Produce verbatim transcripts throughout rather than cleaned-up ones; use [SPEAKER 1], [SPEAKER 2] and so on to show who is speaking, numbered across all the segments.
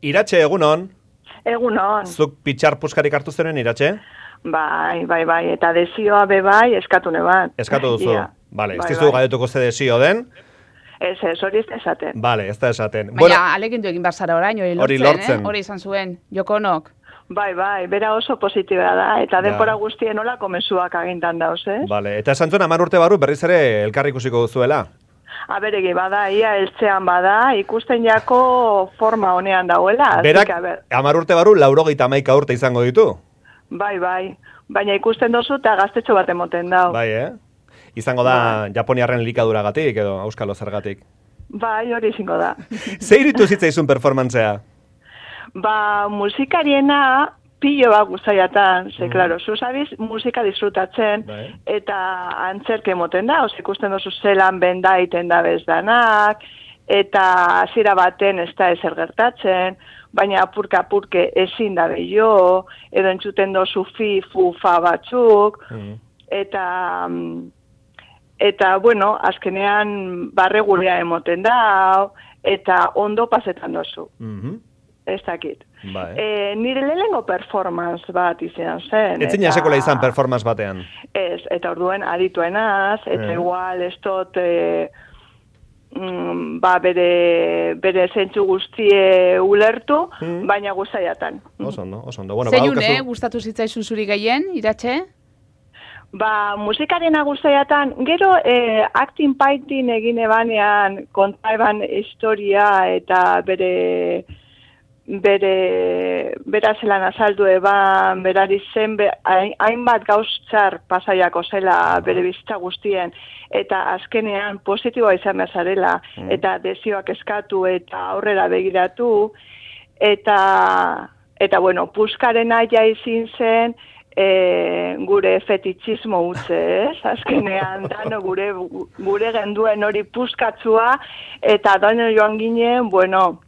[SPEAKER 1] Iratxe, egunon?
[SPEAKER 2] Egunon.
[SPEAKER 1] Zuk pitxar puskarik hartu zeren, Iratxe?
[SPEAKER 2] Bai, bai, bai, eta desioa be bai, eskatu neban.
[SPEAKER 1] Eskatu duzu?
[SPEAKER 2] Ia.
[SPEAKER 1] Bale, ez
[SPEAKER 2] Bai,
[SPEAKER 1] dizu
[SPEAKER 2] bai.
[SPEAKER 1] gaiotuko ze desio den?
[SPEAKER 2] Ez, ez, hori ez da esaten.
[SPEAKER 1] Bale, ez da esaten.
[SPEAKER 3] Baina, alegindu egin barzara orain, hori lortzen,
[SPEAKER 1] Hori lortzen.
[SPEAKER 3] eh? Hori izan zuen, Jokonok.
[SPEAKER 2] Bai, bai, bera oso positiba da, eta
[SPEAKER 1] Ja.
[SPEAKER 2] denbora guztien olako mezuak agintan dauz, eh?
[SPEAKER 1] Bale, eta esan zuen hamar urte barru berriz ere elkarri ikusiko duzuela?
[SPEAKER 2] Aberegi bada, ia eltzean bada, ikusten jako forma honean dauela. así
[SPEAKER 1] Berak
[SPEAKER 2] que, a ber,
[SPEAKER 1] hamar urte barru laurogeita hamaika urte izango ditu?
[SPEAKER 2] bai, bai, baina ikusten dozu eta gaztetxo bat emoten dau.
[SPEAKER 1] Bai, eh? Izango da Japoniarren elikaduragatik edo auskalo zergatik.
[SPEAKER 2] Bai, hori izango da.
[SPEAKER 1] Ze iritu zitzaizun performantzea?
[SPEAKER 2] Ba, musikariena pilo bat guztaiatan, ze, klaro, zu zabiz musika disfrutatzen,
[SPEAKER 1] Bai.
[SPEAKER 2] eta antzerke emoten da, oz, ikusten dozu zelan benda iten da bezdanak, eta hasiera baten ez da ezer gertatzen, baina apurka-apurke ezin da bello, edo entzuten dozu fi, fu, fa batzuk,
[SPEAKER 1] Mm.
[SPEAKER 2] eta... mm, Eta, bueno, azkenean barregurea emoten da, eta ondo pasetan dozu.
[SPEAKER 1] Mhm.
[SPEAKER 2] Ez dakit.
[SPEAKER 1] Bai.
[SPEAKER 2] E, nire lehenengo performance bat izan zen.
[SPEAKER 1] Etzina
[SPEAKER 2] eta-
[SPEAKER 1] esekola izan performance batean.
[SPEAKER 2] Ez, eta orduen adituenaz, eta
[SPEAKER 1] Eh.
[SPEAKER 2] igual ez dut, e, mm, ba, bere, bere zentzu guztie ulertu,
[SPEAKER 1] Mm.
[SPEAKER 2] baina guztaiatan.
[SPEAKER 1] Oso ondo, oso ondo. Bueno,
[SPEAKER 3] Zein
[SPEAKER 1] badaukazu-
[SPEAKER 3] une, gustatu zitzaizun zuri gehien, Iratxe?
[SPEAKER 2] Ba, musikarena guztaiatan, gero e, acting painting egin ebanean, konta eban historia eta bere bere bera zelan azaldu eban, berari zen be, hain- hainbat gauztzar pasaiako zela bere bizitza guztien, eta azkenean positiboa izan bezarela, eta desioak eskatu eta aurrera begiratu, eta eta bueno, puskarena ja izin zen, E, gure fetitxismo utze, ez? Azkenean dano gure gure genduen hori puskatzua, eta dano joan ginen, bueno,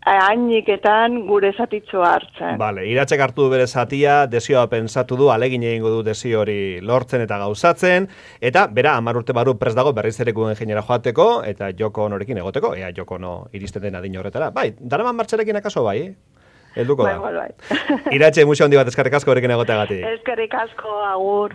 [SPEAKER 2] hainiketan gure zatitzoa hartzen.
[SPEAKER 1] Bale, Iratxek hartu du bere zatia, desioa pentsatu du, alegin egingo du desio hori lortzen eta gauzatzen, eta bera hamar urte barru prest dago berriz ere guen ingeniera joateko, eta Joko Onorekin egoteko, ea Joko Ono iristen den adin horretara. Bai, daraman martxarekin akaso bai, eh? Helduko
[SPEAKER 2] Bai,
[SPEAKER 1] da.
[SPEAKER 2] bai, bai.
[SPEAKER 1] Iratxe, musio handi bat eskerrik asko horrekin egoteagatik.
[SPEAKER 2] Eskerrik asko, agur.